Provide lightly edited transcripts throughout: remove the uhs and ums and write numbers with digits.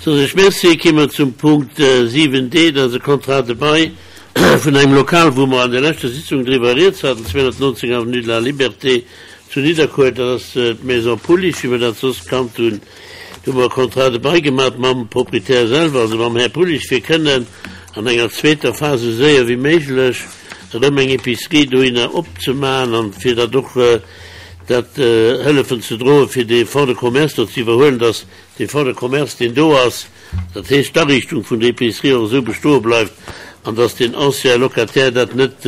Soen ech Merci. Ki mer zum Punkt 7d, dat ass e Contrat de bail vun engem Lokal, wou mer an der leschter Sitzung driwwer rieds haten, 219 avenue de la Liberté zu Nidderkuer. Dat ass d'Maison Pullich, wéi mer dat soss kannt hunn. Do hu mer e Contrat de bail gemaach mam Proprietär selwer, also mam Här Pullich, fir kënnen an enger zweeter Phas esou séier wéi méiglech erëm eng Épicerie dohinner opzemaachen an fir dat och dat hëllefen ze droen, fir dee Fonds de commerce do ze iwwerhuelen, dass dee Fonds de commerce, deen do ass, dat heescht d'Ariichtung vun der Épicerie och esou bestoe bleift an dass deen ancien Locataire dat net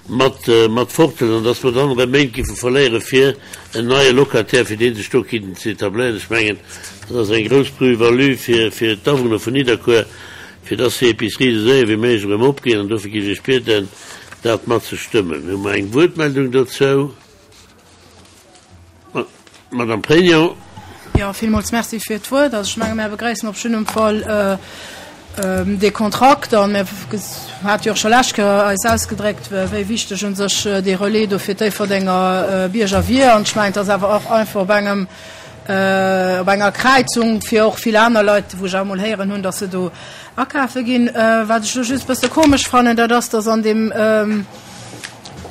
mat mat forthëlt an dass mer dann erëm Méint giffe verléiere fir en neie Locataire, fir dee sech do kinnt ze etabléieren. Ech mengen, dat ass eng grouss Plus-value fir fir d'Awunner vun Nidderkuer, fir dass déi Épicerie esou séier wéi méiglech erëm opgeet an dofir géif ech bieden, dat mat ze stëmmen. Hu mer eng Wuertmeldung dozou? Madame Pregno. Jo, villmools Merci fir d'Wuert. Also ech menge mär begréissen op jiddem Fall dee Kontrakt a mir hate jo och scho lescht Kéier eis ausgedréckt, wéi wichteg u sech dee Relais do fir d'Déifferdenger Bierger wier. An ech mengen, et ass awer och einfach op engem, op enger Kräizung fir och vill aner Leit, wou ech awer emol héieren hunn, datt se do akafe ginn. Wat ech elo just e bësse komesch fannen, dat ass, datt an deem,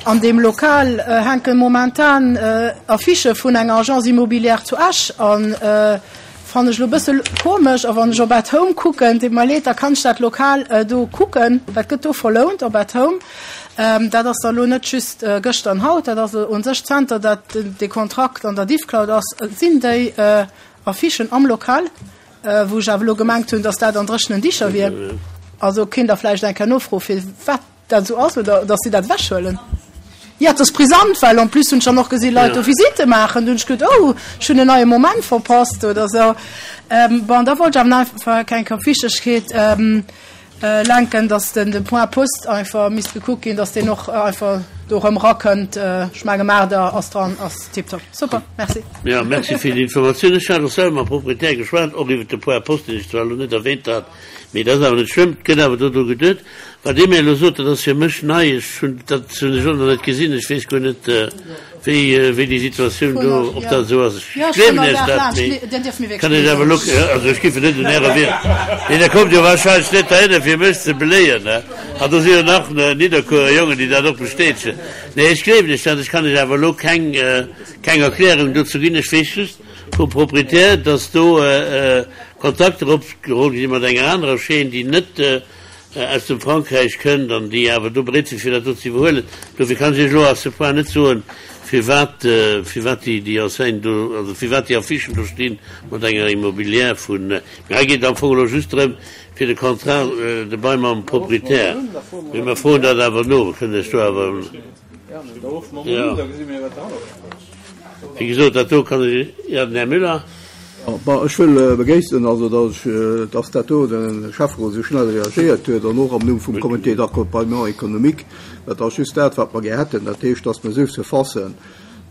An deem Lokal hänke momentan Affichë vun enger Agence immobilière zu Esch an fannen ech elo e bësse komesch. A wann ech op At Home kucken, deet mer leed, da kann ech dat Lokal do kucken, dat gëtt do verlount op At Home. Dat ass da elo net just gëschter an haut, dat ass u sech zanter dat dee Kontrakt an der Diffcloud ass, sinn déi Affichen am Lokal, wou ech awer elo gemengt hunn, datt dat an dréchenen Dicher wier. Also kéint Der vläicht eng Kéier nofroe firwat dat esou ass oder dass si dat ewechhuelen. Jo, et ass brisant, well en plus hunn ech dann och gesi Leit do Visitte maachen. Du hunn ech geduet, oh, ech hunn en neie Moment verpasst oder esou. Bon, da wollt ech awer nach einfach eng Kéier op d'Wichtegkeet lenken, dass den de Point Post einfach misst gekuckt ginn, dass deen och einfach do erëm erakënnt. Ech menge Maarder ass dran, ass tiptop. Super, merci. Jo, merci fir déi Informatioun. Ech hat och selwer mam Proprietär geschwat, och iwwert de Point Post, deen ech zwar elo net erwähnt hat, mee dat ass awer net schlëmm. Et gëtt awer do dru geduet. Wat Dir mir elo sot, dat ass fir mech nei. Ech hunn dat hunn ech och nach net gesinn. Ech weess guer net, wéi, wéi déi Situatioun do, ob dat esou ass. Ech gleewen Iech dat, mee kann Iech awer elo, also ech giff net un Ärer Wier, mee Der kommt jo wahrscheinlech net heihinner, fir mech ze beléieren, ne? An do si jo nach Nidderkuerer Jongen, déi dat och bestätegen. Nee, ech gleewen Iech dat. Ech kann Iech awer elo keng, keng Erklärung dozou ginn. Ech weess just vum Proprietär, dass do Kontakter opgeholl gi sinn mat enger anerer Chaîne, déi net aus dem Frankräich kënnt an déi awer do bereet sinn, fir dat do ze iwwerhuelen. Dofir kann ech Iech elo à ce point net soen, firwat, firwat déi, déi Enseigne do, also firwat déi Affichen do stinn mat enger Immobilière vun. Mee hei geet et am Fong elo just drëm, fir de Contrat de bail mam Proprietär. Mee mer froen dat awer no, mer kënnen Iech do awer, jo. Wéi gesot, dat do kann ech, jo, den Här Müller. Bon, ech wëll begréissen, also datt ech, datt dat do de Schäfferot esou schnell reagéiert huet an och am Numm vum Comité d'accompagnement économique. Dat ass just dat, wat mer gär hätten, dat heescht, datt mer esou Surfacen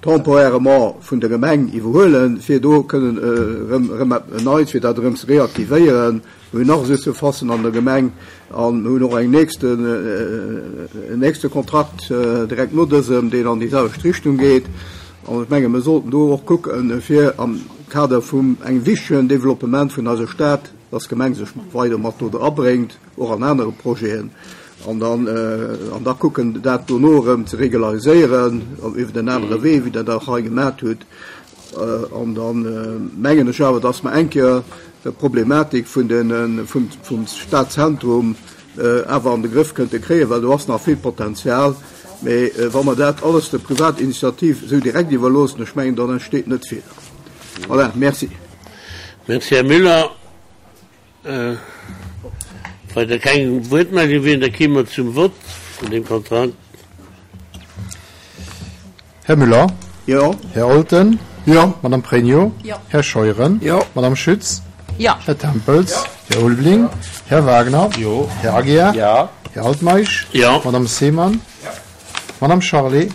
temporairement vun der Gemeng iwwerhuelen, fir do kënnen erëm, erëm eppes Neits, fir dat erëm ze reaktivéieren. Mir hunn nach esou Surfacen an der Gemeng a mir hunn och eng nächsten, en nächste Kontrakt direkt no dësem, deen an déi selwecht Richtung geet. An ech menge mir sollten do och kucken, fir am Kader vum engem wichtegen Développement vun eiser Stad, dass d'Gemeng sech weider mat do abréngt, och an anere Projeten, an dann, an da kucken, dat dono erëm ze regulariséieren iwwer en anere Wee, wéi Der dat hei gemat hutt. An da mengen ech awer, dass mer eng Kéier d'Problematik vum Stadzentrum awer an de Grëff kënnte kréien, well do ass nach vill Potenzial. Mee wa mer dat alles der Privatinitiativ esou direkt iwwerloossen, ech mengen, dann entsteet net vill. Voilà, merci. Merci, Här Müller. Weider keng Wuertmeldung wieren, da kéime mer zum Vott vun deem Kontrakt. Här Müller? Jo. Här Olten? Jo. Madame Pregno? Jo. Här Scheuren? Jo. Madame Schütz? Jo. Här Tempels? Jo. Här Ulveling? Här Wagner? Jo. Här Aguiar? Jo. Här Altmeisch? Jo. Madame Seemann? Jo. Madame Charlé?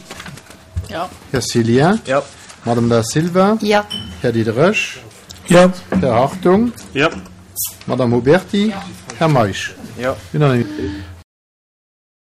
Jo. Här Cillien? Jo. Madame Da Silva? Jo. Här Diderich? Jo. Här Hartung? Jo. Madame Huberti? Jo. Här Meisch? Jo. Unanimitéit.